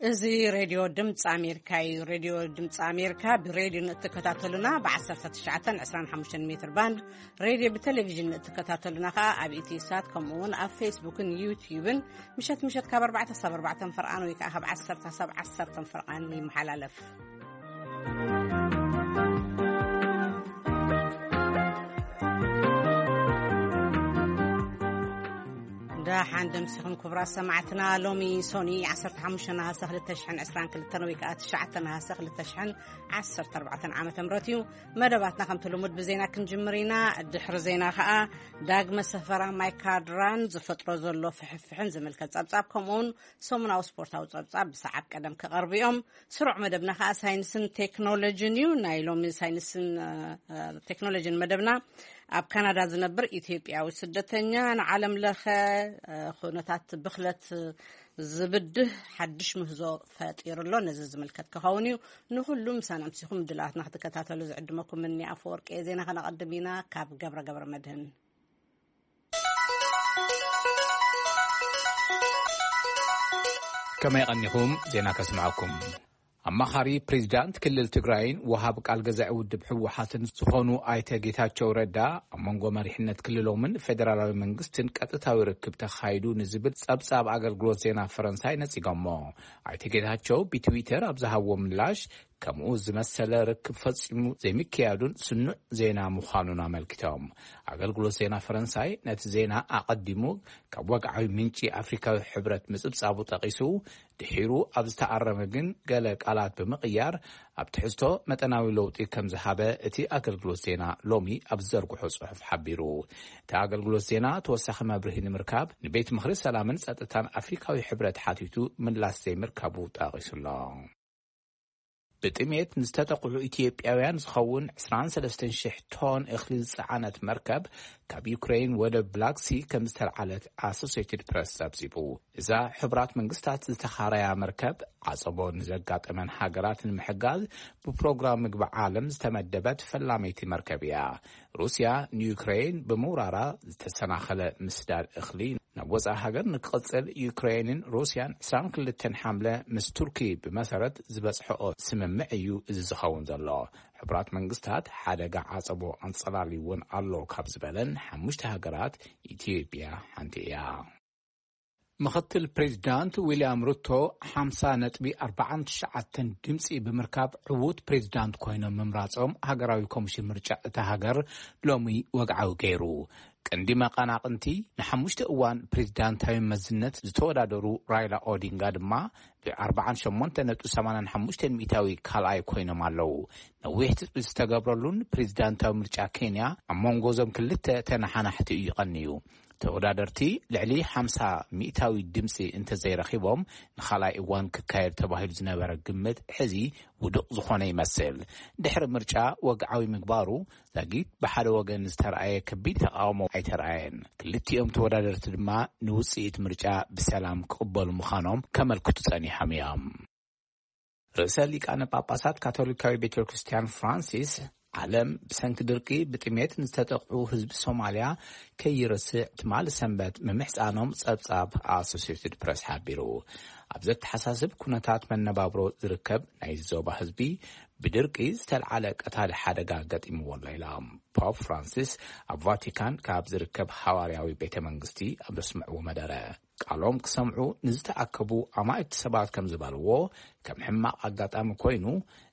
እዚ ሬድዮ ድምፂ ኣሜሪካ እዩ። ሬድዮ ድምፂ ኣሜሪካ ብሬድዮ ንእትከታተሉና ብ19 25 ሜትር ባንድ፣ ሬድዮ ብቴሌቪዥን ንእትከታተሉና ከዓ ኣብ ኢትዮ ሳት፣ ከምኡ እውን ኣብ ፌስቡክን ዩትዩብን ምሸት ምሸት ካብ ኣርባዕተ ሳብ ኣርባዕተ ፈርቓን ወይ ከዓ ካብ ዓሰርተ ሳብ ዓሰርተ ፈርቓን ይመሓላለፍ። ደሓን ደምሲኹም ክቡራት ሰማዕትና። ሎሚ ሶኒ 15 ነሃሰ 2022 ወይ ከዓ 9 ነሃሰ 2014 ዓመተ ምህረት እዩ። መደባትና ከምቲ ልሙድ ብዜና ክንጅምር ኢና። ድሕሪ ዜና ከዓ ዳግመ ሰፈራ ማይካድራን ዝፈጥሮ ዘሎ ፍሕፍሕን ዝምልከት ጸብጻብ፣ ከምኡውን ሰሙናዊ ስፖርታዊ ጸብጻብ ብሰዓብ ቀደም ክቐርቡ እዮም። ስሩዕ መደብና ከዓ ሳይንስን ቴክኖሎጂን እዩ። ናይ ሎሚ ሳይንስን እ፣ ቴክኖሎጂን መደብና፣ ኣብ ካናዳ ዝነብር ኢትዮጵያዊ ስደተኛ ንዓለም ለኸ እ፣ ኩነታት ብኽለት ዝብድህ ሓድሽ ምህዞ ፈጢሩ ኣሎ። ነዚ ዝምልከት ክኸውን እዩ። ንኹሉ ምሳና ኣምሲኹም ምድላዋትና ክትከታተሉ ዝዕድመኩም እኒ ኣፈወርቂ እየ። ዜና ከነቐድም ኢና። ካብ ገብረ ገብረ መድህን። ከመይ ቀኒኹም? ዜና ከስምዐኩም። ኣማኻሪ ፕሬዚዳንት ክልል ትግራይን ወሃብ ቃል ገዛኢ ውድብ ህወሓትን ዝኾኑ ኣይተ ጌታቸው ረዳ፣ ኣብ መንጎ መሪሕነት ክልሎምን ፌደራላዊ መንግስትን ቀጥታዊ ርክብ ተኻይዱ ንዝብል ጸብጻብ ኣገልግሎት ዜና ፈረንሳይ ነጺጎሞ። ኣይተ ጌታቸው ብትዊተር ኣብ ዝሃብዎ ምላሽ፣ ከምኡ ዝመሰለ ርክብ ፈጺሙ ዘይምክያዱን ስኑዕ ዜና ምዃኑን ኣመልኪቶም። ኣገልግሎት ዜና ፈረንሳይ ነቲ ዜና ኣቐዲሙ ካብ ወግዓዊ ምንጪ ኣፍሪካዊ ሕብረት ምጽብጻቡ ጠቒሱ፣ ድሒሩ ኣብ ዝተኣረመ ግን ገለ ቃላት ብምቕያር ኣብ ትሕዝቶ መጠናዊ ለውጢ ከም ዝሃበ እቲ ኣገልግሎት ዜና ሎሚ ኣብ ዝዘርግሖ ጽሑፍ ሓቢሩ። እቲ ኣገልግሎት ዜና ተወሳኺ መብርሂ ንምርካብ ንቤት ምኽሪ ሰላምን ጸጥታን ኣፍሪካዊ ሕብረት ሓቲቱ ምላሽ ዘይምርካቡ ጠቒሱ ኣሎ። ብጥሜት ንዝተጠቕዑ ኢትዮጵያውያን ዝኸውን 23,000 ቶን እኽሊ ዝጸዓነት መርከብ ካብ ዩክሬን ወደብ ብላክ ሲ ከም ዝተልዓለት ኣሶሴትድ ፕረስ ጸብጺቡ። እዛ ሕቡራት መንግስታት ዝተኻረያ መርከብ ዓጸቦ ንዘጋጠመን ሃገራት ንምሕጋዝ ብፕሮግራም ምግቢ ዓለም ዝተመደበት ፈላመይቲ መርከብ እያ። ሩስያ ንዩክሬን ብምውራራ ዝተሰናኸለ ምስዳድ እኽሊ ናብ ወጻኢ ሃገር ንክቕጽል ዩክሬንን ሩስያን 22 ሓምለ ምስ ቱርኪ ብመሰረት ዝበጽሐኦ ስምምዕ እዩ እዚ ዝኸውን ዘሎ። ሕቡራት መንግስታት ሓደጋ ዓጸቦ ኣንጸላልይዎን ኣሎ ካብ ዝበለን ሓሙሽተ ሃገራት ኢትዮጵያ ሓንቲ እያ። ምኽትል ፕሬዚዳንት ዊልያም ሩቶ 50.49 ድምፂ ብምርካብ ዕዉት ፕሬዚዳንት ኮይኖም ምምራጾም ሃገራዊ ኮሚሽን ምርጫ እታ ሃገር ሎሚ ወግዓዊ ገይሩ። ቀንዲ መቐናቕንቲ ንሓሙሽተ እዋን ፕሬዚዳንታዊ መዝነት ዝተወዳደሩ ራይላ ኦዲንጋ ድማ ብ48.85% ካልኣይ ኮይኖም ኣለዉ። ነዊሕ ትጽቢት ዝተገብረሉን ፕሬዚዳንታዊ ምርጫ ኬንያ ኣብ መንጎ እዞም ክልተ ተነሓናሕቲ እዩ ቀንዩ። ተወዳደርቲ ልዕሊ 50% ድምፂ እንተዘይረኺቦም ንኻልኣይ እዋን ክካየድ ተባሂሉ ዝነበረ ግምት ሕዚ ውዱቕ ዝኾነ ይመስል። ድሕሪ ምርጫ ወግዓዊ ምግባሩ ዛጊት ብሓደ ወገን ዝተረኣየ ከቢድ ተቃውሞ ኣይተረኣየን። ክልቲኦም ተወዳደርቲ ድማ ንውፅኢት ምርጫ ብሰላም ክቕበሉ ምዃኖም ከመልክቱ ጸኒሖም እዮም። ርእሰ ሊቃነ ጳጳሳት ካቶሊካዊ ቤተ ክርስቲያን ፍራንሲስ ዓለም ብሰንኪ ድርቂ ብጥሜት ንዝተጠቕዑ ህዝቢ ሶማልያ ከይርስዕ ትማሊ ሰንበት ምምሕጻኖም ጸብጻብ ኣሶሲየትድ ፕረስ ሓቢሩ። ኣብ ዘተሓሳስብ ኩነታት መነባብሮ ዝርከብ ናይ ዞባ ህዝቢ ብድርቂ ዝተልዓለ ቀታሊ ሓደጋ ገጢምዎ ኣሎ ኢላ። ፖፕ ፍራንሲስ ኣብ ቫቲካን ካብ ዝርከብ ሃዋርያዊ ቤተ መንግስቲ ኣብ ዘስምዕዎ መደረ፣ ቃሎም ክሰምዑ ንዝተኣከቡ ኣማእቲ ሰባት ከም ዝበልዎ፣ ከም ሕማቕ ኣጋጣሚ ኮይኑ፣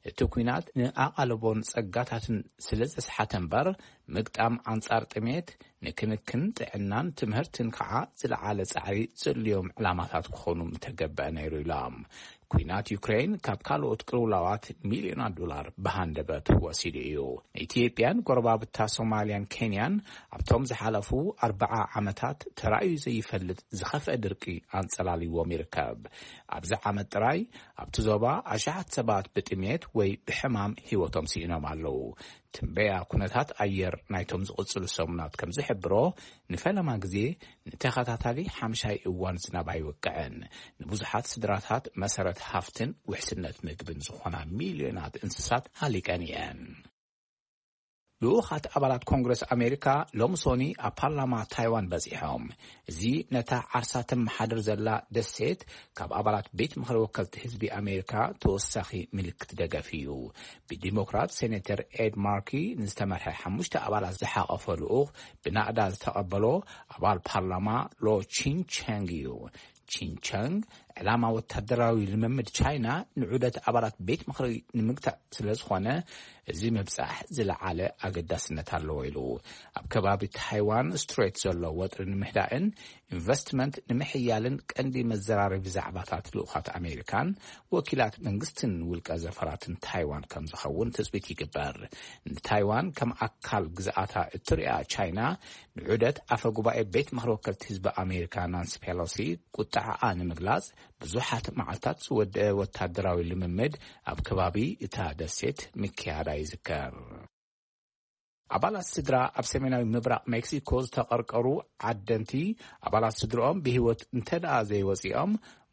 እቲ ኲናት ንኣቓልቦን ጸጋታትን ስለ ዘስሓተ እምበር፣ ምግጣም ኣንጻር ጥሜት፣ ንክንክን ጥዕናን ትምህርትን ከዓ ዝለዓለ ጻዕሪ ዘድልዮም ዕላማታት ክኾኑ ምተገበአ ነይሩ ኢሎም። ኲናት ዩክሬን ካብ ካልኦት ቅልውላዋት ሚልዮናት ዶላር ብሃንደበት ወሲዱ እዩ። ኢትዮጵያን ጎረባብታ ሶማልያን ኬንያን ኣብቶም ዝሓለፉ ኣርብዓ ዓመታት ተራእዩ ዘይፈልጥ ዝኸፍአ ድርቂ ኣንጸላልዎም ይርከብ። ኣብዚ ዓመት ጥራይ ኣብቲ ዞባ ኣሽሓት ሰባት ብጥሜት ወይ ብሕማም ህይወቶም ስኢኖም ኣለዉ። ትንበያ ኩነታት ኣየር ናይቶም ዝቕጽሉ ሰሙናት ከም ዝሕብሮ፣ ንፈለማ ግዜ ንተኸታታሊ ሓምሻይ እዋን ዝናብ ኣይወቅዕን። ንብዙሓት ስድራታት መሰረት ሃፍትን ውሕስነት ምግብን ዝኾና ሚልዮናት እንስሳት ሃሊቀን እየን። ልኡኻት ኣባላት ኮንግረስ ኣሜሪካ ሎምሶኒ ኣብ ፓርላማ ታይዋን በጺሖም። እዚ ነታ ዓርሳ ተመሓደር ዘላ ደሴት ካብ ኣባላት ቤት ምኽሪ ወከልቲ ህዝቢ ኣሜሪካ ተወሳኺ ምልክት ደገፍ እዩ። ብዲሞክራት ሴኔተር ኤድ ማርኪ ንዝተመርሐ ሓሙሽተ ኣባላት ዝሓቐፈ ልኡኽ ብናእዳ ዝተቐበሎ ኣባል ፓርላማ ሎ ቺን ቸንግ እዩ። ቺን ቸንግ ዕላማ ወታደራዊ ልምምድ ቻይና ንዑደት ኣባላት ቤት ምኽሪ ንምግታእ ስለ ዝኾነ፣ እዚ ምብጻሕ ዝለዓለ ኣገዳስነት ኣለዎ ኢሉ። ኣብ ከባቢ ታይዋን ስትሬት ዘሎ ወጥሪ ንምሕዳእን ኢንቨስትመንት ንምሕያልን ቀንዲ መዘራረቢ ዛዕባታት ልኡኻት ኣሜሪካን ወኪላት መንግስትን ውልቀ ዘፈራትን ታይዋን ከም ዝኸውን ትጽቢት ይግበር። ንታይዋን ከም ኣካል ግዝኣታ እትሪኣ ቻይና፣ ንዑደት ኣፈ ጉባኤ ቤት ምኽሪ ወከልቲ ህዝቢ ኣሜሪካ ናንሲ ፔሎሲ ቁጥዓኣ ንምግላጽ ብዙሓት መዓልታት ዝወደአ ወታደራዊ ልምምድ ኣብ ከባቢ እታ ደሴት ምክያዳ ይዝከር። ኣባላት ስድራ ኣብ ሰሜናዊ ምብራቕ ሜክሲኮ ዝተቐርቀሩ ዓደንቲ፣ ኣባላት ስድርኦም ብህይወት እንተ ደኣ ዘይወጺኦም፣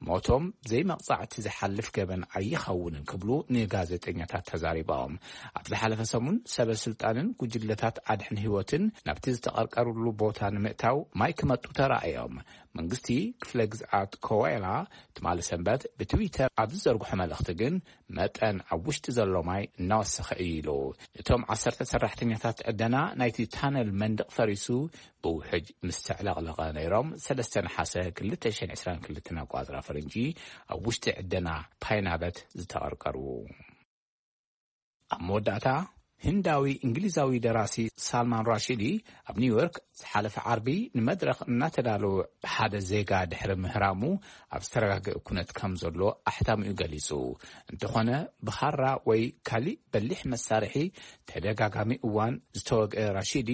ሞቶም ዘይመቕጻዕቲ ዝሓልፍ ገበን ኣይኸውንን ክብሉ ንጋዜጠኛታት ተዛሪቦም። ኣብ ዝሓለፈ ሰሙን ሰበ ስልጣንን ጉጅለታት ኣድሕን ህይወትን ናብቲ ዝተቐርቀሩሉ ቦታ ንምእታው ማይ ክመጡ ተራእዮም። መንግስቲ ክፍለ ግዝኣት ኮዌላ ትማሊ ሰንበት ብትዊተር ኣብ ዝዘርግሖ መልእኽቲ ግን፣ መጠን ኣብ ውሽጢ ዘሎ ማይ እናወሰኸ እዩ ኢሉ። እቶም ዓሰርተ ሰራሕተኛታት ዕደና ናይቲ ታነል መንደቕ ፈሪሱ ብውሕጅ ምስ ተዕለቕለቐ ነይሮም፣ ሰለስተ ነሓሰ ክልተ ሽሕን ዕስራን ክልተን ኣቋጽራ ፈረንጂ ኣብ ውሽጢ ዕደና ፓይናበት ዝተቐርቀሩ። ኣብ መወዳእታ፣ ህንዳዊ እንግሊዛዊ ደራሲ ሳልማን ራሺዲ ኣብ ኒውዮርክ ዝሓለፈ ዓርቢ ንመድረኽ እናተዳለወ ሓደ ዜጋ ድሕሪ ምህራሙ ኣብ ዝተረጋገአ ኩነት ከም ዘሎ ኣሕታሚኡ ገሊጹ። እንተኾነ፣ ብኻራ ወይ ካሊእ በሊሕ መሳርሒ ተደጋጋሚ እዋን ዝተወግአ ራሺዲ፣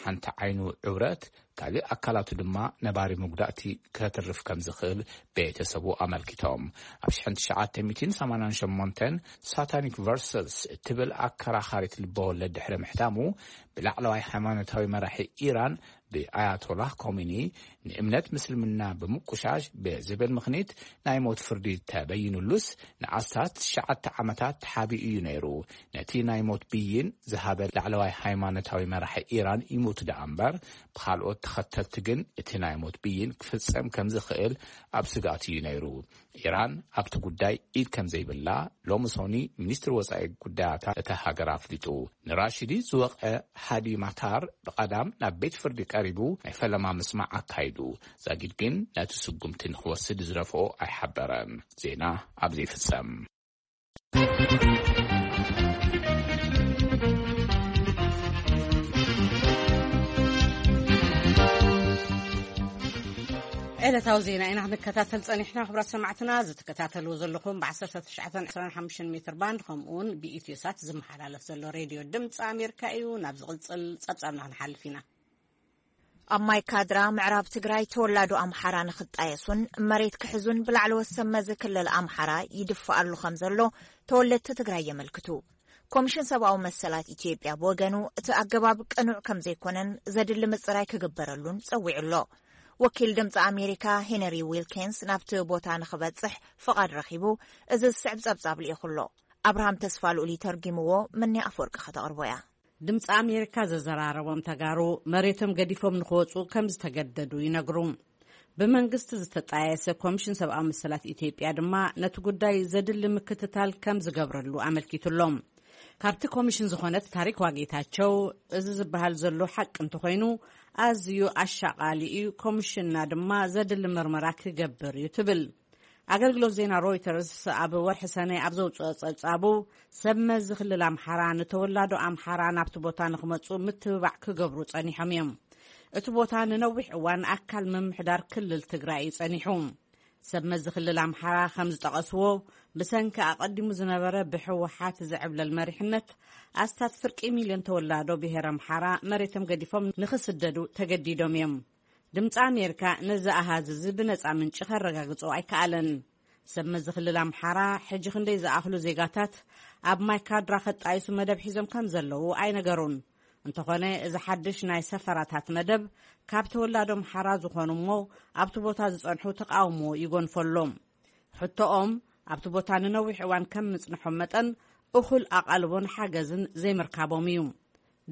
ሓንቲ ዓይኑ ዕውረት፣ ካልእ ኣካላቱ ድማ ነባሪ መጉዳእቲ ከተትርፍ ከም ዝኽእል ቤተሰቡ ኣመልኪቶም። ኣብ ሽሕን ትሽዓተ ሚእትን ሰማንያን ሸሞንተን ሳታኒክ ቨርሰስ እትብል ኣከራኻሪት ልበወለድ ድሕሪ ምሕታሙ፣ ብላዕለዋይ ሃይማኖታዊ መራሒ ኢራን ብኣያቶላህ ኮሚኒ ንእምነት ምስልምና ብምቁሻሽ ብዝብል ምኽኒት ናይ ሞት ፍርዲ ተበይኑሉስ፣ ንኣስታት ትሽዓተ ዓመታት ተሓቢኡ እዩ ነይሩ። ነቲ ናይ ሞት ብይን ዝሃበ ላዕለዋይ ሃይማኖታዊ መራሒ ኢራን ይሙት ደኣ እምበር፣ ብኻልኦት ተኸተልቲ ግን እቲ ናይ ሞት ብይን ክፍጸም ከም ዝኽእል ኣብ ስግኣት እዩ ነይሩ። ኢራን ኣብቲ ጉዳይ ኢድ ከም ዘይብላ ሎሚ ሶኒ ሚኒስትሪ ወጻኢ ጉዳያት እታ ሃገር ኣፍሊጡ። ንራሺዲ ዝወቐ ሃዲ ማታር ብቐዳም ናብ ቤት ፍርዲ ቀሪቡ ናይ ፈለማ ምስማዕ ኣካይዱ። ዛጊድ ግን ነቲ ስጉምቲ ንኽወስድ ዝደፍኦ ኣይሓበረን። ዜና ኣብ ዘይፍጸም። ዕለታዊ ዜና ኢና ክንከታተል ጸኒሕና። ክቡራት ሰማዕትና፣ ዝትከታተልዎ ዘለኹም ብዓሰርተ ትሽዓተን ዕስራን ሓሙሽተን ሜትር ባንድ፣ ከምኡውን ብኢትዮሳት ዝመሓላለፍ ዘሎ ሬድዮ ድምፂ ኣሜሪካ እዩ። ናብ ዝቕጽል ጸብጻብና ክንሓልፍ ኢና። ኣብ ማይካድራ ምዕራብ ትግራይ ተወላዶ ኣምሓራ ንኽጣየሱን መሬት ክሕዙን ብላዕለዎት ሰብ መዚ ክልል ኣምሓራ ይድፍኣሉ ከም ዘሎ ተወለድቲ ትግራይ የመልክቱ። ኮሚሽን ሰብኣዊ መሰላት ኢትዮጵያ ብወገኑ እቲ ኣገባብ ቅኑዕ ከም ዘይኮነን ዘድሊ ምጽራይ ክግበረሉን ጸዊዑ ኣሎ። ወኪል ድምፂ ኣሜሪካ ሄነሪ ዊልኪንስ ናብቲ ቦታ ንኽበጽሕ ፍቓድ ረኺቡ፣ እዚ ዝስዕብ ጸብጻብ ልኢኹ ኣሎ። ኣብርሃም ተስፋ ልኡል ይተርጊምዎ፣ ምኒ ኣፈወርቂ ከተቕርቦ እያ። ድምፂ ኣሜሪካ ዘዘራረቦም ተጋሩ መሬቶም ገዲፎም ንኽወፁ ከም ዝተገደዱ ይነግሩ። ብመንግስቲ ዝተጣየሰ ኮሚሽን ሰብኣዊ መሰላት ኢትዮጵያ ድማ ነቲ ጉዳይ ዘድሊ ምክትታል ከም ዝገብረሉ ኣመልኪቱሎም። ካብቲ ኮሚሽን ዝኾነት ታሪክ ዋጌታቸው፣ እዚ ዝበሃል ዘሎ ሓቂ እንተኾይኑ ኣዝዩ ኣሻቓሊ እዩ፣ ኮሚሽንና ድማ ዘድሊ ምርመራ ክገብር እዩ ትብል። ኣገልግሎት ዜና ሮይተርስ ኣብ ወርሒ ሰነ ኣብ ዘውፅኦ ጸብጻቡ፣ ሰብ መዚ ክልል ኣምሓራ ንተወላዶ ኣምሓራ ናብቲ ቦታ ንኽመፁ ምትብባዕ ክገብሩ ጸኒሖም እዮም። እቲ ቦታ ንነዊሕ እዋን ኣካል ምምሕዳር ክልል ትግራይ እዩ ጸኒሑ። ሰብ መዚ ክልል ኣምሓራ ከም ዝጠቐስዎ፣ ብሰንኪ ኣቐዲሙ ዝነበረ ብህወሓት ዝዕብለል መሪሕነት፣ ኣስታት ፍርቂ ሚልዮን ተወላዶ ብሄር ኣምሓራ መሬቶም ገዲፎም ንኽስደዱ ተገዲዶም እዮም። ድምፂ ኣሜሪካ ነዚ ኣሃዝ እዚ ብነፃ ምንጪ ከረጋግጾ ኣይከኣለን። ሰብ መዚ ክልል ኣምሓራ ሕጂ ክንደይ ዝኣኽሉ ዜጋታት ኣብ ማይካድራ ከጣይሱ መደብ ሒዞም ከም ዘለዉ ኣይነገሩን። እንተኾነ፣ እዚ ሓድሽ ናይ ሰፈራታት መደብ ካብ ተወላዶ ኣምሓራ ዝኾኑ እሞ ኣብቲ ቦታ ዝጸንሑ ተቃውሞ ይጎንፈሎም። ሕቶኦም ኣብቲ ቦታ ንነዊሕ እዋን ከም ምጽንሖም መጠን እኹል ኣቓልቦን ሓገዝን ዘይምርካቦም እዩ።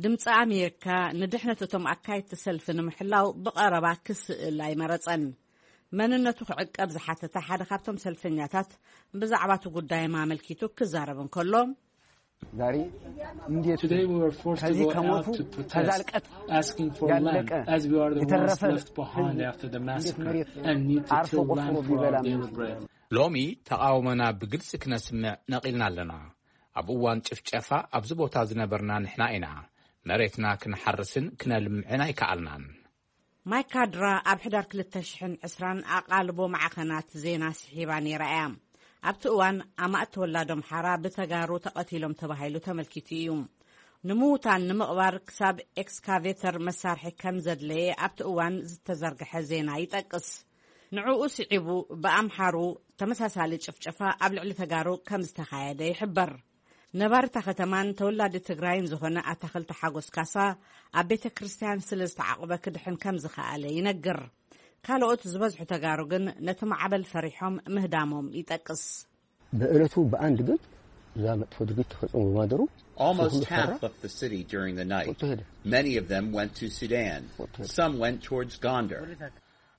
ድምፂ ኣሜሪካ ንድሕነት እቶም ኣካየድቲ ሰልፊ ንምሕላው ብቐረባ ክስእል ኣይመረፀን። መንነቱ ክዕቀብ ዝሓተተ ሓደ ካብቶም ሰልፈኛታት ብዛዕባ እቲ ጉዳይ ኣመልኪቱ ክዛረብ እንከሎ፣ ዛሬ እንዴት ከዚህ ከሞቱ ከዛ እልቀት ያለቀ የተረፈ እንዴት መሬት አርፎ ቆፍሮ ቢበላ? ሎሚ ተቓውሞና ብግልፂ ክነስምዕ ነቒልና ኣለና። ኣብ እዋን ጭፍጨፋ ኣብዚ ቦታ ዝነበርና ንሕና ኢና። መሬትና ክንሓርስን ክነልምዕን ኣይከኣልናን። ማይካድራ ኣብ ሕዳር ክልተ ሽሕን ዕስራን ኣቓልቦ ማዕኸናት ዜና ስሒባ ነይራ እያ። ኣብቲ እዋን ኣማእት ተወላዶ ኣምሓራ ብተጋሩ ተቐቲሎም ተባሂሉ ተመልኪቱ እዩ። ንምውታን ንምቕባር ክሳብ ኤክስካቬተር መሳርሒ ከም ዘድለየ ኣብቲ እዋን ዝተዘርግሐ ዜና ይጠቅስ። ንዕኡ ስዒቡ ብኣምሓሩ ተመሳሳሊ ጭፍጨፋ ኣብ ልዕሊ ተጋሩ ከም ዝተኻየደ ይሕበር። ነባሪ እታ ከተማን ተወላዲ ትግራይን ዝኾነ ኣታኽልቲ ሓጎስ ካሳ፣ ኣብ ቤተ ክርስቲያን ስለ ዝተዓቑበ ክድሕን ከም ዝኸኣለ ይነግር። ካልኦት ዝበዝሑ ተጋሩ ግን ነቲ ማዕበል ፈሪሖም ምህዳሞም ይጠቅስ። በእለቱ በአንድ ግን እዛ መጥፎ ድርጊት ተፈጽሞ በማደሩ Almost half left the city during the night. Many of them went to Sudan. Some went towards Gondar.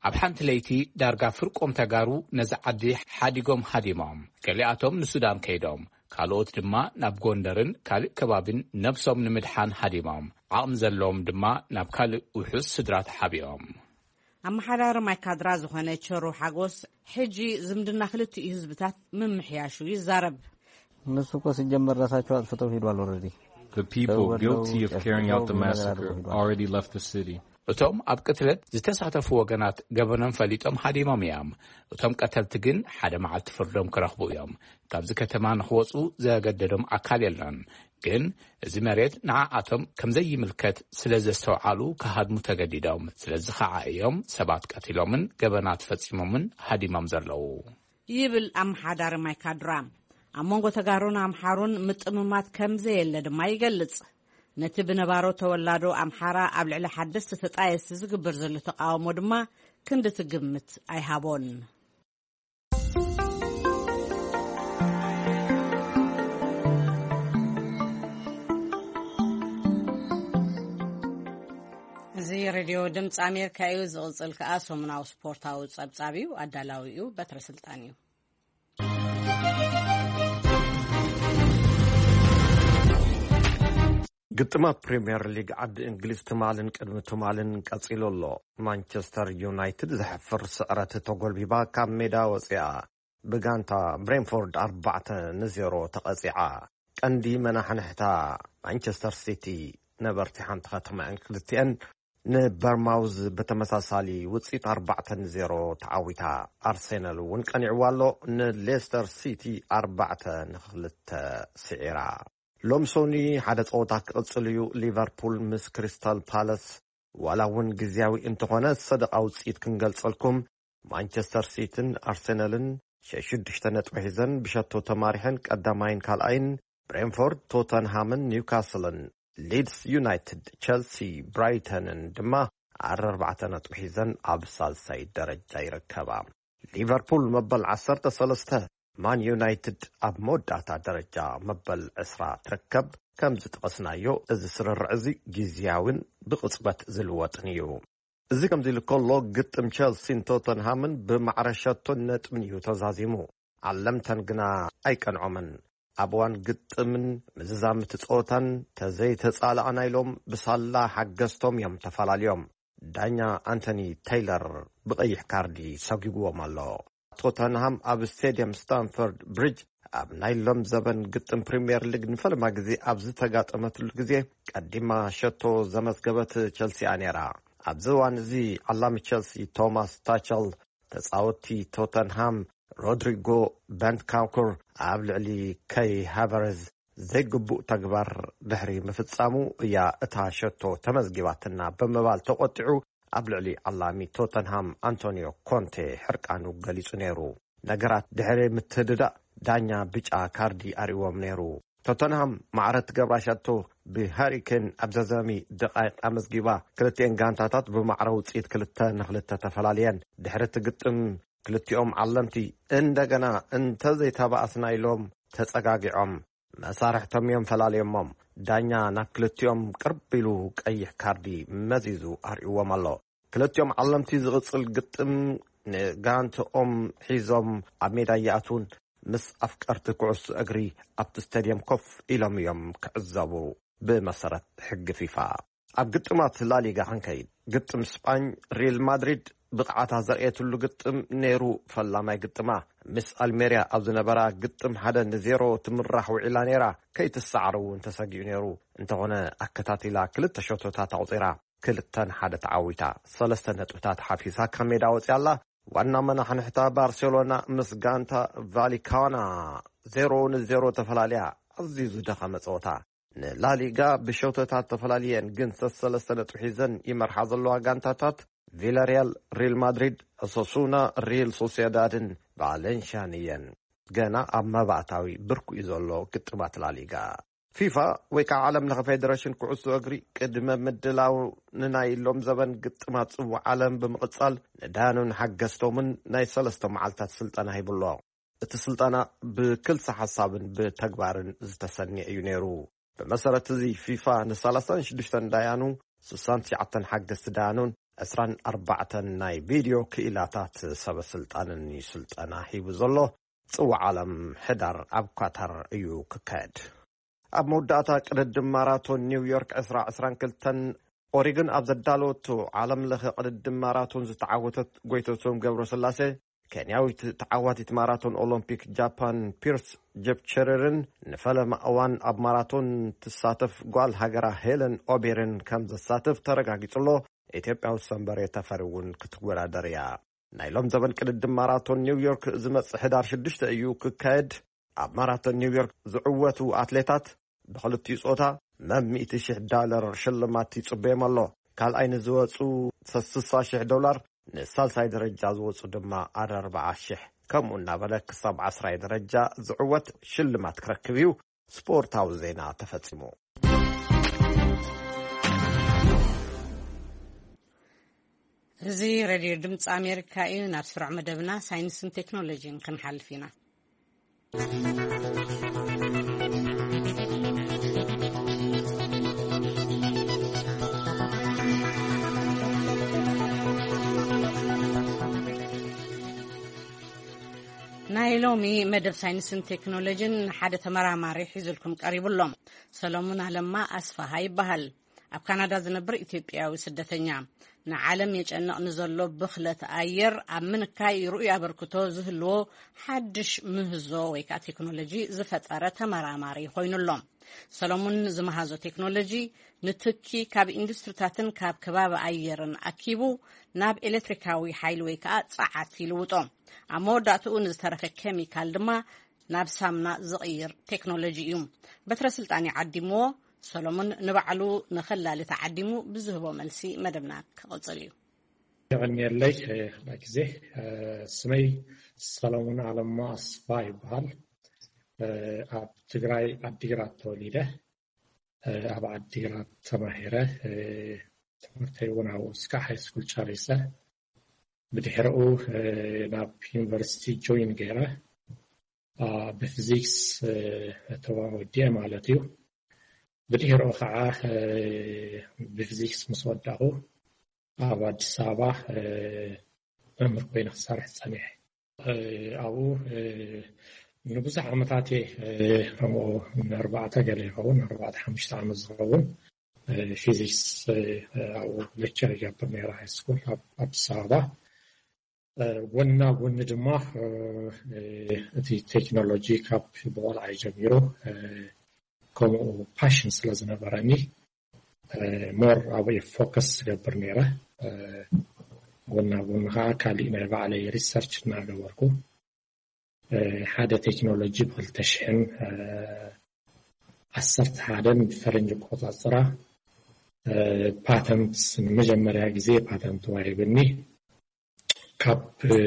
ኣብ ሓንቲ ለይቲ ዳርጋ ፍርቆም ተጋሩ ነዚ ዓዲ ሓዲጎም ሃዲሞም። ገሊኣቶም ንሱዳን ከይዶም፣ ካልኦት ድማ ናብ ጎንደርን ካልእ ከባቢን ነብሶም ንምድሓን ሃዲሞም። ዓቕሚ ዘለዎም ድማ ናብ ካልእ ውሑስ ስድራ ተሓቢኦም። ኣመሓዳሪ ማይካድራ ዝኾነ ቸሩ ሓጎስ፣ ሕጂ ዝምድና ክልቲኡ ህዝብታት ምምሕያሹ ይዛረብ። እነሱ እኮ ሲጀመር ራሳቸው አጥፍተው ሄዷል። Already The people guilty of carrying out the massacre already left the city. እቶም ኣብ ቅትለት ዝተሳተፉ ወገናት ገበኖም ፈሊጦም ሃዲሞም እዮም። እቶም ቀተልቲ ግን ሓደ መዓልቲ ፍርዶም ክረኽቡ እዮም። ካብዚ ከተማ ንኽወፁ ዘገደዶም ኣካል የለን። ግን እዚ መሬት ንዓኣቶም ከም ዘይምልከት ስለ ዘስተውዓሉ ክሃድሙ ተገዲዶም። ስለዚ ኸዓ እዮም ሰባት ቀቲሎምን ገበናት ፈጺሞምን ሃዲሞም ዘለዉ። ይብል ኣመሓዳሪ ማይካድራ። ኣብ መንጎ ተጋሩን ኣምሓሩን ምጥምማት ከም ዘየለ ድማ ይገልጽ። ነቲ ብነባሮ ተወላዶ ኣምሓራ ኣብ ልዕሊ ሓደስቲ ተጣየስቲ ዝግበር ዘሎ ተቃውሞ ድማ ክንድቲ ግምት ኣይሃቦን። እዚ ሬድዮ ድምፂ ኣሜሪካ እዩ። ዝቕፅል ከኣ ሰሙናዊ ስፖርታዊ ጸብጻብ እዩ። ኣዳላዊ እዩ በትረ ስልጣን እዩ። ግጥማት ፕሪምየር ሊግ ዓዲ እንግሊዝ ትማልን ቅድሚ ትማልን ቀጺሉ ኣሎ። ማንቸስተር ዩናይትድ ዘሕፍር ስዕረት ተጎልቢባ ካብ ሜዳ ወጺኣ። ብጋንታ ብሬንፎርድ ኣርባዕተ ንዜሮ ተቐጺዓ። ቀንዲ መናሕንሕታ ማንቸስተር ሲቲ ነበርቲ ሓንቲ ከተማ እየን። ክልቲአን ንበርማውዝ ብተመሳሳሊ ውጽኢት ኣርባዕተ ንዜሮ ተዓዊታ። ኣርሴናል እውን ቀኒዕዋ ኣሎ። ንሌስተር ሲቲ ኣርባዕተ ንኽልተ ስዒራ። ሎም ሶኒ ሓደ ጸወታ ክቕጽል እዩ። ሊቨርፑል ምስ ክሪስታል ፓለስ ዋላ እውን ግዝያዊ እንተኾነ ሰደቓ ውጽኢት ክንገልጸልኩም። ማንቸስተር ሲቲን ኣርሴናልን ሸሽዱሽተ ነጥቢ ሒዘን ብሸቶ ተማሪሐን ቀዳማይን ካልኣይን። ብሬንፎርድ፣ ቶተንሃምን ኒውካስልን፣ ሊድስ ዩናይትድ፣ ቸልሲ፣ ብራይተንን ድማ ኣርባዕተ ነጥቢ ሒዘን ኣብ ሳልሳይ ደረጃ ይርከባ። ሊቨርፑል መበል ዓሰርተ ሰለስተ፣ ማን ዩናይትድ ኣብ መወዳእታ ደረጃ መበል ዕስራ ትርከብ። ከም ዝጠቐስናዮ እዚ ስርርዕ እዚ ግዝያውን ብቕጽበት ዝልወጥን እዩ። እዚ ከምዚ ኢሉ ከሎ ግጥም ቸልሲን ቶተንሃምን ብማዕረ ሸቶን ነጥብን እዩ ተዛዚሙ። ዓለምተን ግና ኣይቀንዖምን። ኣብ እዋን ግጥምን ምዝዛም እቲ ጸወታን ተዘይተጻልኣና ኢሎም ብሳላ ሓገዝቶም እዮም ተፈላልዮም። ዳኛ ኣንቶኒ ተይለር ብቐይሕ ካርዲ ሰጒግዎም ኣሎ። ቶተንሃም ኣብ ስቴድየም ስታንፈርድ ብሪጅ ኣብ ናይ ሎም ዘበን ግጥም ፕሪምየር ሊግ ንፈለማ ግዜ ኣብ ዝተጋጠመትሉ ግዜ ቀዲማ ሸቶ ዘመዝገበት ቸልሲኣ ነይራ። ኣብዚ እዋን እዚ ዓላሚ ቸልሲ ቶማስ ታቸል ተጻወትቲ ቶተንሃም ሮድሪጎ በንትካንኩር ኣብ ልዕሊ ከይ ሃቨርዝ ዘይግቡእ ተግባር ድሕሪ ምፍጻሙ እያ እታ ሸቶ ተመዝጊባትና ብምባል ተቖጢዑ ኣብ ልዕሊ ዓላሚ ቶተንሃም ኣንቶኒዮ ኮንቴ ሕርቃኑ ገሊጹ ነይሩ። ነገራት ድሕሪ ምትህድዳእ ዳኛ ብጫ ካርዲ ኣርእዎም ነይሩ። ቶተንሃም ማዕረ ትገብራ ሸቶ ብሃሪኬን ኣብ ዘዛሚ ደቃይቕ ኣመዝጊባ። ክልቲኤን ጋንታታት ብማዕረ ውጽኢት ክልተ ንክልተ ተፈላልየን። ድሕሪ እቲ ግጥም ክልቲኦም ዓለምቲ እንደገና እንተዘይተባኣስና ኢሎም ተጸጋጊዖም። መሳርሕቶም እዮም ፈላልዮሞም። ዳኛ ናብ ክልቲኦም ቅርብ ኢሉ ቀይሕ ካርዲ መዚዙ ኣርእይዎም ኣሎ። ክልቲኦም ዓለምቲ ዝቕጽል ግጥም ንጋንትኦም ሒዞም ኣብ ሜዳ ይኣትዉን ምስ ኣፍቀርቲ ኩዕሶ እግሪ ኣብቲ ስታድየም ኮፍ ኢሎም እዮም ክዕዘቡ ብመሰረት ሕጊ ፊፋ። ኣብ ግጥማት ላሊጋ ክንከይድ፣ ግጥም ስጳኝ ሪል ማድሪድ ብቕዓታ ዘርእየትሉ ግጥም ነይሩ። ፈላማይ ግጥማ ምስ ኣልሜርያ ኣብ ዝነበራ ግጥም ሓደ ንዜሮ ትምራሕ ውዒላ ነይራ። ከይትሰዓር እውን ተሰጊኡ ነይሩ። እንተኾነ ኣከታቲላ ክልተ ሸቶታት ኣቑጺራ ክልተ ንሓደ ተዓዊታ ሰለስተ ነጥብታት ሓፊሳ ካብ ሜዳ ወፂኣላ። ዋና መናሕንሕታ ባርሴሎና ምስ ጋንታ ቫሊካና ዜሮ ንዜሮ ተፈላልያ። ኣዝዩ ዝደኸመ ፀወታ። ንላሊጋ ብሸቶታት ተፈላልየን ግን ሰሰለስተ ነጥቢ ሒዘን ይመርሓ ዘለዋ ጋንታታት ቪላሪያል፣ ሪል ማድሪድ፣ ኦሳሱና፣ ሪል ሶሲዳድን ቫሌንሽያን እየን። ገና ኣብ መባእታዊ ብርኩ እዩ ዘሎ ግጥማት ላሊጋ። ፊፋ ወይ ከዓ ዓለም ለኸ ፌደሬሽን ኩዕሶ እግሪ ቅድመ ምድላው ንናይ ሎም ዘበን ግጥማት ጽዋዕ ዓለም ብምቕጻል ንዳያኑን ሓገዝቶምን ናይ ሰለስተ መዓልታት ስልጠና ሂቡሎ። እቲ ስልጠና ብክልሰ ሓሳብን ብተግባርን ዝተሰንየ እዩ ነይሩ። ብመሰረት እዚ ፊፋ ን ሰላሳን ሽዱሽተን ዳያኑ፣ ስሳን ትሽዓተን ሓገዝቲ ዳያኑን ዕስራን ኣርባዕተን ናይ ቪድዮ ክኢላታት ሰበ ስልጣንን እዩ ስልጠና ሂቡ ዘሎ። ጽዋዕ ዓለም ሕዳር ኣብ ኳታር እዩ ክካየድ። ኣብ መወዳእታ ቅድድም ማራቶን ኒውዮርክ ዕስራ ዕስራን ክልተን ኦሪግን ኣብ ዘዳለወቶ ዓለም ለኸ ቅድድም ማራቶን ዝተዓወተት ጎይተቶም ገብረስላሴ ኬንያዊት ተዓዋቲት ማራቶን ኦሎምፒክ ጃፓን ፒርስ ጀፕቸረርን ንፈለማ እዋን ኣብ ማራቶን ትሳተፍ ጓል ሃገራ ሄለን ኦቤርን ከም ዘሳትፍ ተረጋጊጹ ኣሎ። ኢትዮጵያዊት ሰንበሬ ተፈሪ እውን ክትወዳደር እያ። ናይ ሎም ዘበን ቅድድም ማራቶን ኒውዮርክ ዝመጽእ ሕዳር ሽዱሽተ እዩ ክካየድ። ኣብ ማራቶን ኒውዮርክ ዝዕወቱ ኣትሌታት ብኽልቲኡ ጾታ መብ ሚእቲ ሽሕ ዳለር ሽልማት ይጽበዮም ኣሎ። ካልኣይ ንዝወጹ ስሳ ሽሕ ዶላር፣ ንሳልሳይ ደረጃ ዝወጹ ድማ ኣርባዓ ሽሕ፣ ከምኡ እናበለ ክሳብ ዓስራይ ደረጃ ዝዕወት ሽልማት ክረክብ እዩ። ስፖርታዊ ዜና ተፈጺሙ። እዚ ሬድዮ ድምፂ ኣሜሪካ እዩ። ናብ ስሩዕ መደብና ሳይንስን ቴክኖሎጂን ክንሓልፍ ኢና። ናይ ሎሚ መደብ ሳይንስን ቴክኖሎጂን ሓደ ተመራማሪ ሒዙልኩም ቀሪቡ ኣሎ። ሰሎሙን ኣለማ ኣስፋሃ ይበሃል። ኣብ ካናዳ ዝነብር ኢትዮጵያዊ ስደተኛ፣ ንዓለም የጨንቕ ንዘሎ ብኽለት ኣየር ኣብ ምንካይ ርኡይ ኣበርክቶ ዝህልዎ ሓድሽ ምህዞ ወይ ከዓ ቴክኖሎጂ ዝፈጠረ ተመራማሪ ኮይኑ ኣሎ። ሰሎሙን ዝመሃዞ ቴክኖሎጂ ንትኪ ካብ ኢንዱስትሪታትን ካብ ከባቢ ኣየርን ኣኪቡ ናብ ኤሌክትሪካዊ ሓይሊ ወይ ከዓ ጸዓት ይልውጦ። ኣብ መወዳእትኡ ንዝተረፈ ኬሚካል ድማ ናብ ሳምና ዝቕይር ቴክኖሎጂ እዩ። በትረ ስልጣን ይዓዲምዎ። ሰሎሙን ንባዕሉ ንኸላሊ ተዓዲሙ ብዝህቦ መልሲ መደብና ክቕጽል እዩ። የቐንየለይ። እ፣ ክልተ ግዜ። እ፣ ስመይ ሰሎሙን ኣለማ ኣስፋ ይበሃል። እ፣ ኣብ ትግራይ ዓዲግራት ተወሊደ። እ፣ ኣብ ዓዲግራት ተማሂረ። እ፣ ትምህርተይ እውን ኣብኡ እስካዕ ሃይ ስኩል ጨሪሰ። ብድሕሪኡ፣ እ፣ ናብ ዩኒቨርሲቲ ጆይን ገይረ። እ፣ ብፊዚክስ፣ እ፣ ተዋወዲኤ ማለት እዩ። ብድሕሪኡ ከዓ፣ እ፣ ብፊዚክስ ምስ ወዳኹ ኣብ ኣዲስ ኣበባ፣ እ፣ መምህር ኮይነ ክሰርሕ ጸኒሐ። እ፣ ኣብኡ፣ እ፣ ንብዙሕ ዓመታት እየ፣ እ፣ ከምኡ ንኣርባዕተ ገለ ይኸውን፣ ኣርባዕተ ሓሙሽተ ዓመት ዝኸውን፣ እ፣ ፊዚክስ፣ እ፣ ኣብኡ ሌክቸር ይገብር ነይረ ሃይ ስኩል ኣብ ኣዲስ ኣበባ። እ፣ ጎኒ ናብ ጎኒ ድማ፣ እ፣ እ፣ እቲ ቴክኖሎጂ ካብ ብቆልዓይ ጀሚሩ፣ እ፣ ከምኡ ፓሽን ስለ ዝነበረኒ፣ እ፣ ሞር ኣብኡ ፎከስ ዝገብር ነይረ። እ፣ ጎኒ ናብ ጎኒ ከዓ ካሊእ ናይ ባዕለይ ሪሰርች እናገበርኩ፣ እ፣ ሓደ ቴክኖሎጂ ብክልተ ሽሕን ዓሰርተ ሓደን ብፈረንጂ ኣቆጻጽራ፣ እ፣ ፓተንት ንመጀመርያ ግዜ ፓተንት ተዋሂብኒ። ካብ፣ እ፣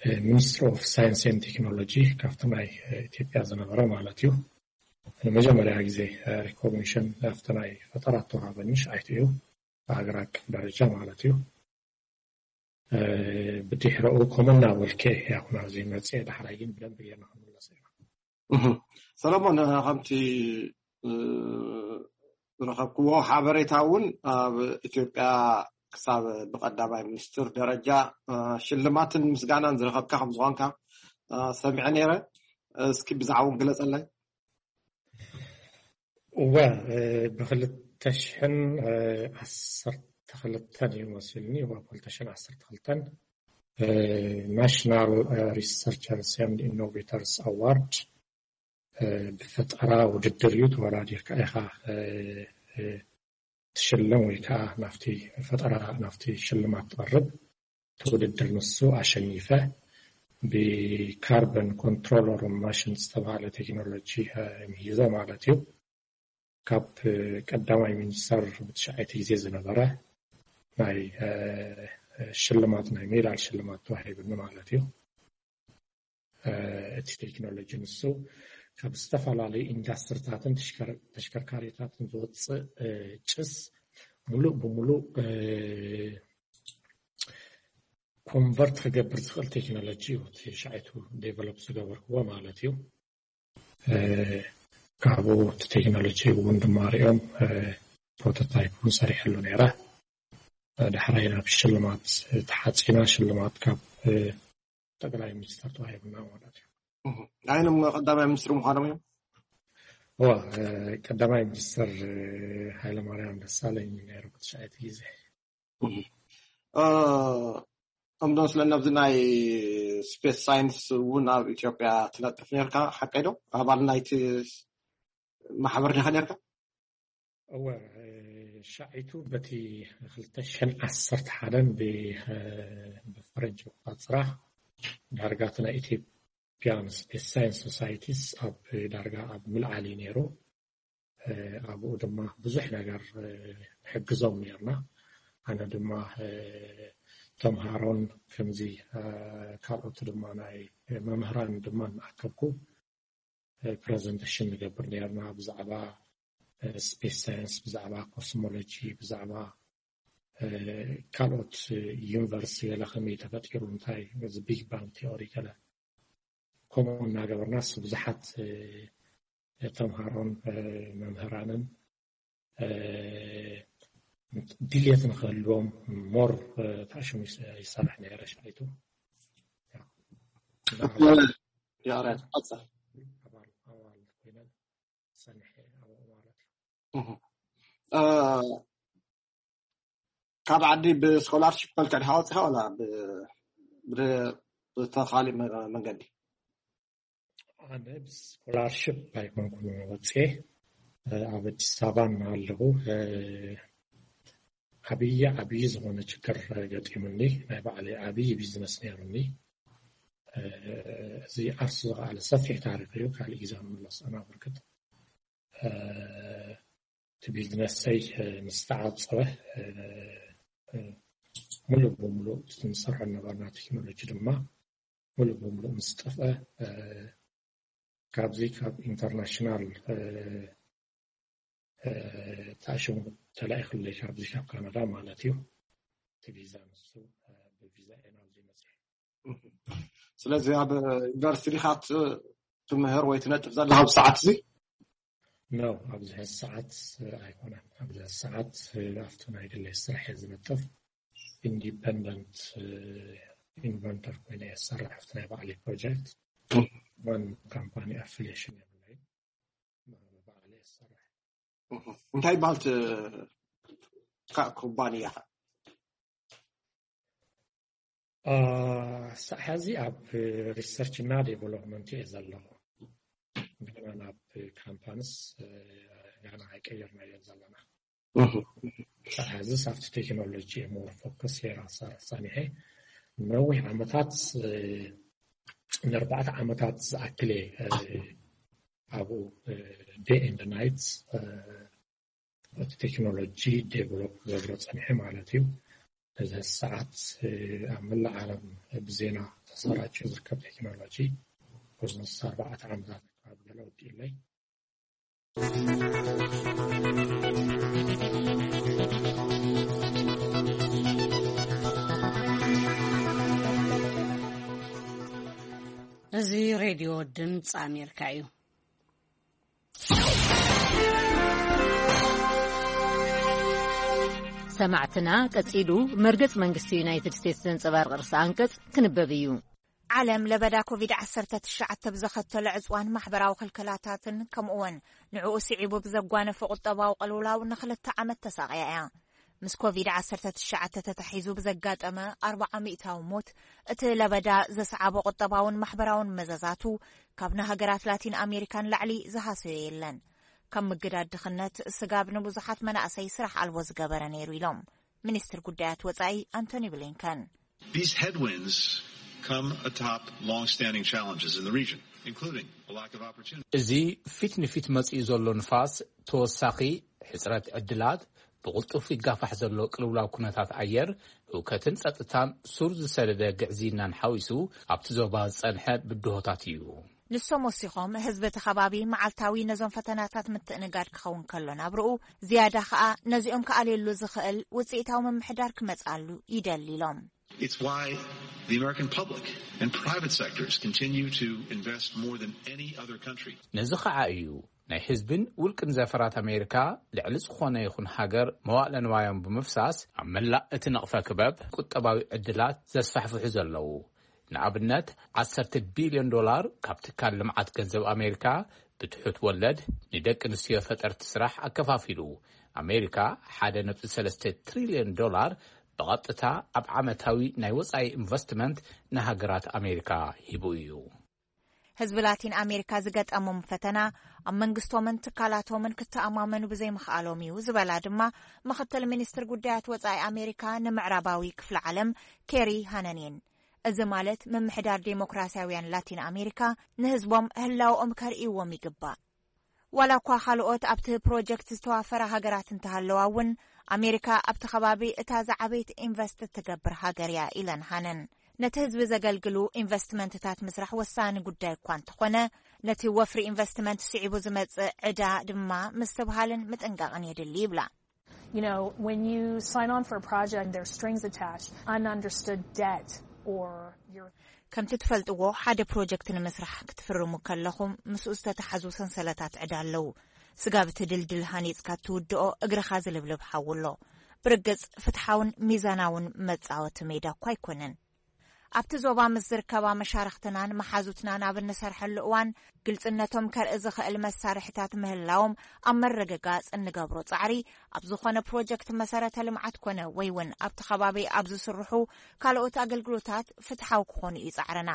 እ፣ ሚኒስትሪ ኦፍ ሳይንስ ኤንድ ቴክኖሎጂ፣ ካብቲ ናይ፣ እ፣ ኢትዮጵያ ዝነበረ ማለት እዩ። ንመጀመርያ ግዜ፣ እ፣ ሪኮግኒሽን ኣብቲ ናይ ፈጠራ ተዋሃበኒ ሽዓይቱ እዩ፣ ብሃገር ኣቀፍ ደረጃ ማለት እዩ። እ፣ ብድሕረኡ ከምኡ እናበልከ ያው ናብዚ መፅኤ፣ ዳሕራይ ግን ብደንብ ጌርና ክንምለስ ኢና። እህ። ሰለሞን፣ ከምቲ እ፣ ዝረኸብክዎ ሓበሬታ እውን ኣብ ኢትዮጵያ ክሳብ ብቀዳማይ ሚኒስትር ደረጃ እ፣ ሽልማትን ምስጋናን ዝረኸብካ ከም ዝኾንካ እ፣ ሰሚዐ ነይረ። እስኪ ብዛዕባኡ ግለጸለይ። እወ፣ እ፣ ብክልተ ሽሕን እ፣ ዓሰርተ ክልተን እዩ መሲልኒ። እወ፣ ብክልተ ሽሕን ዓሰርተ ክልተን እ፣ ናሽናል እ፣ ሪሰርቸርስ ኤንድ ኢኖቬተርስ ኣዋርድ እ፣ ብፈጠራ ውድድር እዩ። ተወዳዲርካ ኢኻ እ፣ እ፣ ትሽለም ወይ ከዓ ናብቲ ፈጠራ ናብቲ ሽልማት ትቐርብ። እቲ ውድድር ንሱ ኣሸኒፈ ብካርበን ኮንትሮለር ማሽን ዝተባሃለ ቴክኖሎጂ እ፣ ምሂዘ ማለት እዩ። ካብ እ፣ ቀዳማይ ሚኒስተር ብትሽዓይቲ ግዜ ዝነበረ ናይ እ፣ ሽልማት ናይ ሜዳል ሽልማት ተዋሂብኒ ማለት እዩ። እ፣ እቲ ቴክኖሎጂ ንሱ ካብ ዝተፈላለዩ ኢንዳስትሪታትን ተሽከር- ተሽከርካሪታትን ዝወፅእ እ፣ ጭስ ሙሉእ ብሙሉእ እ፣ ኮንቨርት ክገብር ዝኽእል ቴክኖሎጂ እዩ። እቲ ሻዒቱ ዴቨሎፕ ዝገበርክዎ ማለት እዩ። እ፣ ካብኡ እቲ ቴክኖሎጂ እውን ድማ ሪኦም እ፣ ፕሮቶታይፕ እውን ሰሪሐሉ ነይረ። እ፣ ዳሕራይ ናብ ሽልማት ተሓፂና ሽልማት ካብ እ፣ ጠቅላይ ሚኒስተር ተዋሂቡና ማለት እዩ። እህ። ኣይኖም ቀዳማይ ሚኒስትር ምዃኖም እዮም። እዋ እ፣ ቀዳማይ ሚኒስተር እ፣ ሃይለማርያም ደሳለኝ ነይሩ ብትሽዓይቲ ግዜ። እህ። እ፣ እምዶ ስለኒ ኣብዚ ናይ ስፔስ ሳይንስ እውን ኣብ ኢትዮጵያ ትነጥፍ ነርካ፣ ሓቀይ ዶ? ኣባል ናይቲ ማሕበር ዲኻ ነርካ? እወ፣ እ፣ ሻዒቱ በቲ ክልተ ሽሕን ዓሰርተ ሓደን ብ- እ፣ ብፈረንጂ ኣቆፃፅራ ዳርጋ እቲ ናይ ኢትዮጵያን ስፔስ ሳይንስ ሶሳይቲስ ኣብ ዳርጋ ኣብ ምልዓል እዩ ነይሩ። እ፣ ኣብኡ ድማ ብዙሕ ነገር እ፣ ንሕግዞም ነርና። ኣነ ድማ እ፣ ተምሃሮን ከምዚ እ፣ ካልኦት ድማ ናይ መምህራን ድማ እናኣከብኩ ፕረዘንቴሽን ንገብር ነርና ብዛዕባ ስፔስ ሳይንስ፣ ብዛዕባ ኮስሞሎጂ፣ ብዛዕባ እ፣ ካልኦት ዩኒቨርስ ገለ ከመይ ተፈጢሩ፣ እንታይ እዚ ቢግ ባንግ ቲዮሪ ገለ ከምኡ እናገበርናስ ብዙሓት እ፣ ተምሃሮን እ፣ መምህራንን እ፣ ድልየት ንክህልዎም ሞር እ፣ ተኣሽሙ ይስ- ይሰርሕ ነይረ ሻዒቱ። የቕረብ ቀጽል። ኣባል ኣባል ኮይነ ሰኒሐ ኣብኡ ማለት እዩ። እህ። እ፣ ካብ ዓዲ ብስኮላርሽፕ መልክዕ ዲኻ ወፂኻ ዋላ ብ- ብ- ብተኻሊ መ- መንገዲ? ኣነ ብስኮላርሽፕ ኣይኮንኩን ወፅኤ። ኣብ ኣዲስ ኣበባ እናሃለኹ እ፣ ዓብዪ ዓብዪ ዝኾነ ችግር ገጢሙኒ። ናይ ባዕለይ ዓብዪ ቢዝነስ ነይሩኒ። እ፣ እዚ ዓርሱ ዝኸኣለ ሰፊሕ ታሪክ እዩ። ካልእ ግዜ ክንምለስ ኣና ብርግጥ እ፣ እቲ ቢዝነሰይ እ፣ ምስ ተዓፀወ እ፣ እ፣ ሙሉእ ብሙሉእ እቲ ንሰርሖ ነበርና ቴክኖሎጂ ድማ ሙሉእ ብሙሉእ ምስ ጠፍአ እ፣ ካብዚ ካብ ኢንተርናሽናል እ፣ እ፣ ተኣሽሙ ተላኢኹለይ ካብዚ ካብ ካናዳ ማለት እዩ። እቲ ቪዛ ንሱ እ፣ ብቪዛ እየ ናብዚ መፅአ። ስለዚ ኣብ ዩኒቨርሲቲ ዲኻ ት- ትምህር ወይ ትነጥፍ ዘለኻ ኣብዚ ሰዓት እዚ? ነው ኣብዚ ሕዚ ሰዓት ኣይኮነን። ኣብዚ ሕዚ ሰዓት ኣብቲ ናይ ግለይ ስራሕ እየ ዝነጥፍ። ኢንዲፐንደንት ኢንቨንተር ኮይነ እየ ዝሰርሕ ኣብቲ ናይ ባዕለይ ፕሮጀክት። ማን ካምፓኒ ኣፊሊሽን የብለይ። ባዕለይ እሰርሕ። እንታይ ይበሃል እቲ ካ- ኩባንያኻ? ሳብ ሕዚ ኣብ ሪሰርች እና ዴቨሎፕመንት እየ ዘለኹ። ገና ናብ ካምፓንስ ገና ኣይቀየርናዮን ዘለና። ሳብ ሕዚ ሳብቲ ቴክኖሎጂ ሞር ፎከስ ገይራ ሰርሕ ፀኒሐ። ነዊሕ ዓመታት ንኣርባዕተ ዓመታት ዝኣክል እየ ኣብኡ ዴይ ኤንድ ናይት እቲ ቴክኖሎጂ ዴቨሎፕ ክገብሮ ፀኒሐ ማለት እዩ። እዚ ሰዓት ኣብ መላእ ዓለም ብዜና ተሰራጭ ዝርከብ ቴክኖሎጂ ኦልሞስት ኣርባዕተ ዓመታት ኣካባቢ ገለ ወዲኡለይ። እዚ ሬድዮ ድምፂ ኣሜሪካ እዩ። ሰማዕትና ቀጺሉ መርገጽ መንግስቲ ዩናይትድ ስቴትስ ዘንጸባርቕ ርእሰ ኣንቀጽ ክንበብ እዩ። ዓለም ለበዳ ኮቪድ ዓሰርተ ትሽዓተ ብዘኸተሎ ዕጽዋን ማሕበራዊ ክልከላታትን ከምኡውን ንዕኡ ስዒቡ ብዘጓነፈ ቁጠባዊ ቅልውላው ንኽልተ ዓመት ተሳቕያ እያ። ምስ ኮቪድ ዓሰርተ ትሽዓተ ተታሒዙ ብዘጋጠመ ኣርባዓ ሚእታዊ ሞት፣ እቲ ለበዳ ዘስዓቦ ቁጠባውን ማሕበራውን መዘዛቱ ካብ ንሃገራት ላቲን ኣሜሪካ ንላዕሊ ዝሃሰዮ የለን። ካብ ምግዳድ ድኽነት ስጋብ ንብዙሓት መናእሰይ ስራሕ ኣልቦ ዝገበረ ነይሩ ኢሎም ሚኒስትር ጉዳያት ወጻኢ ኣንቶኒ ብሊንከን። These headwinds come atop long-standing challenges in the region, including a lack of opportunity. እዚ ፊት ንፊት መጺኡ ዘሎ ንፋስ፣ ተወሳኺ ሕጽረት ዕድላት፣ ብቕልጡፍ ይጋፋሕ ዘሎ ቅልውላው ኩነታት ኣየር፣ ህውከትን ጸጥታን ሱር ዝሰደደ ግዕዝይናን ሓዊሱ ኣብቲ ዞባ ዝጸንሐ ብድሆታት እዩ። ንሶም ወሲኾም፣ ህዝቢ እቲ ከባቢ መዓልታዊ ነዞም ፈተናታት ምትእንጋድ ክኸውን ከሎ ናብርኡ፣ ዝያዳ ኸኣ ነዚኦም ክኣልየሉ ዝኽእል ውጽኢታዊ ምምሕዳር ክመጽኣሉ ይደሊ ኢሎም። It's why the American public and private sectors continue to invest more than any other country. ነዚ ኸዓ እዩ ናይ ህዝብን ውልቅን ዘፈራት ኣሜሪካ ልዕሊ ዝኾነ ይኹን ሃገር መዋእለ ንዋዮም ብምፍሳስ ኣብ መላእ እቲ ነቕፈ ክበብ ቁጠባዊ ዕድላት ዘስፋሕፍሑ ዘለዉ። ንኣብነት፣ ዓሰርተ ቢልዮን ዶላር ካብ ትካል ልምዓት ገንዘብ ኣሜሪካ ብትሑት ወለድ ንደቂ ኣንስትዮ ፈጠርቲ ስራሕ ኣከፋፊሉ። ኣሜሪካ ሓደ ነጥቢ ሰለስተ ትሪልዮን ዶላር ብቐጥታ ኣብ ዓመታዊ ናይ ወጻኢ ኢንቨስትመንት ንሃገራት ኣሜሪካ ሂቡ እዩ። ህዝቢ ላቲን ኣሜሪካ ዝገጠሞም ፈተና፣ ኣብ መንግስቶምን ትካላቶምን ክተኣማመኑ ብዘይምኽኣሎም እዩ ዝበላ ድማ ምኽትል ሚኒስትር ጉዳያት ወጻኢ ኣሜሪካ ንምዕራባዊ ክፍለ ዓለም ኬሪ ሃነን እየን። እዚ ማለት ምምሕዳር ዴሞክራሲያውያን ላቲን ኣሜሪካ ንህዝቦም ህላወኦም ከርእይዎም ይግባእ። ዋላ እኳ ካልኦት ኣብቲ ፕሮጀክት ዝተዋፈራ ሃገራት እንተሃለዋ እውን፣ ኣሜሪካ ኣብቲ ከባቢ እታ ዝዓበየት ኢንቨስት እትገብር ሃገር እያ ኢለን ሃነን። ነቲ ህዝቢ ዘገልግሉ ኢንቨስትመንትታት ምስራሕ ወሳኒ ጉዳይ እኳ እንተኾነ፣ ነቲ ወፍሪ ኢንቨስትመንት ስዒቡ ዝመጽእ ዕዳ ድማ ምስትብሃልን ምጥንቃቕን የድሊ ይብላ። You know, when you sign on for a project, there's strings attached, ununderstood debt, or you're ከምቲ ትፈልጥዎ፣ ሓደ ፕሮጀክት ንምስራሕ ክትፍርሙ ከለኹም ምስኡ ዝተተሓዙ ሰንሰለታት ዕዳ ኣለዉ። ስጋብ እቲ ድልድል ሃኒጽካ እትውድኦ እግርኻ ዝልብልብ ሓዊ ኣሎ። ብርግጽ ፍትሓውን ሚዛናውን መጻወቲ ሜዳ እኳ ኣይኮነን። ኣብቲ ዞባ ምስ ዝርከባ መሻርኽትናን መሓዙትናን ኣብ እንሰርሐሉ እዋን፣ ግልጽነቶም ከርኢ ዝኽእል መሳርሕታት ምህላዎም ኣብ መረገጋጽ እንገብሮ ጻዕሪ፣ ኣብ ዝኾነ ፕሮጀክት መሰረተ ልምዓት ኮነ ወይ እውን ኣብቲ ከባቢ ኣብ ዝስርሑ ካልኦት ኣገልግሎታት ፍትሓዊ ክኾኑ እዩ ጻዕርና።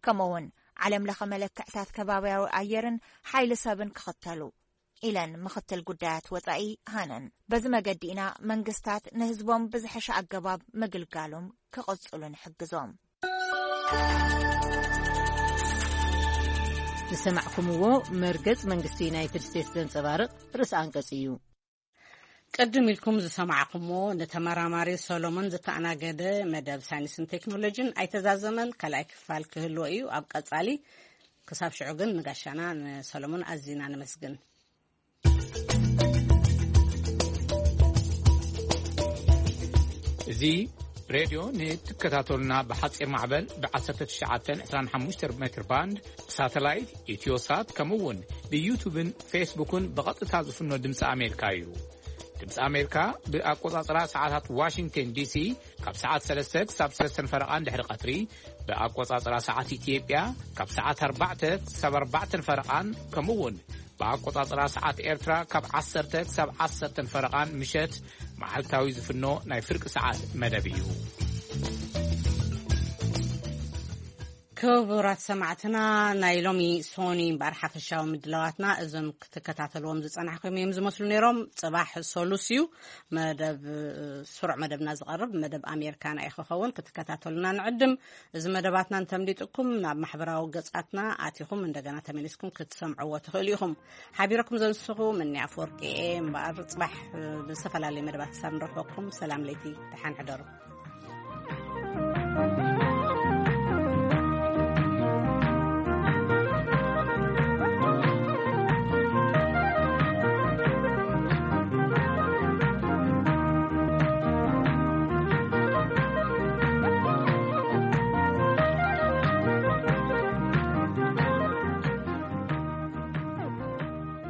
ከምኡ እውን ዓለም ለኸ መለክዕታት ከባብያዊ ኣየርን ሓይሊ ሰብን ክኽተሉ ኢለን ምኽትል ጉዳያት ወጻኢ ሃነን። በዚ መገዲ ኢና መንግስታት ንህዝቦም ብዝሐሸ ኣገባብ ምግልጋሎም ክቕጽሉ ንሕግዞም። ዝሰማዕኩምዎ መርገጽ መንግስቲ ዩናይትድ ስቴትስ ዘንጸባርቕ ርእሰ ኣንቀጽ እዩ። ቅድም ኢልኩም ዝሰማዕኩምዎ ንተመራማሪ ሰሎሞን ዝተኣናገደ መደብ ሳይንስን ቴክኖሎጂን ኣይተዛዘመን፣ ካልኣይ ክፋል ክህልዎ እዩ ኣብ ቀጻሊ። ክሳብ ሽዑ ግን ንጋሻና ንሰሎሞን ኣዚና ነመስግን። እዚ ሬድዮ ንትከታተሉና ብሓጺር ማዕበል ብ19 25 ሜትር ባንድ፣ ሳተላይት፣ ኢትዮሳት፣ ከምኡ እውን ብዩቱብን ፌስቡክን ብቐጥታ ዝፍኖ ድምፂ ኣሜሪካ እዩ። ድምፂ ኣሜሪካ ብኣቆጻጽራ ሰዓታት ዋሽንግተን ዲሲ ካብ ሰዓት ሰለስተ ክሳብ ሰለስተ ፈረቓን ድሕሪ ቀትሪ፣ ብኣቆጻጽራ ሰዓት ኢትዮጵያ ካብ ሰዓት ኣርባዕተ ክሳብ ኣርባዕተ ፈረቓን፣ ከምኡ እውን ብኣቆጻጽራ ሰዓት ኤርትራ ካብ ዓሰርተ ክሳብ ዓሰርተ ፈረቓን ምሸት መዓልታዊ ዝፍኖ ናይ ፍርቂ ሰዓት መደብ እዩ። ክቡራት ሰማዕትና፣ ናይ ሎሚ ሶኒ እምበኣር ሓፈሻዊ ምድላዋትና እዞም ክትከታተልዎም ዝጸናሕኩም እዮም ዝመስሉ ነይሮም። ጽባሕ ሰሉስ እዩ መደብ፣ ስሩዕ መደብና ዝቐርብ መደብ ኣሜሪካና እዩ ክኸውን። ክትከታተሉና ንዕድም። እዚ መደባትና እንተምሊጥኩም ናብ ማሕበራዊ ገጻትና ኣቲኹም እንደገና ተመሊስኩም ክትሰምዕዎ ትኽእሉ ኢኹም። ሓቢረኩም ዘንስኹ ምኒ ኣፈወርቂ እየ እምበኣር፣ ጽባሕ ብዝተፈላለየ መደባት ክሳብ ንረኽበኩም፣ ሰላም ለይቲ፣ ደሓን ሕደሩ።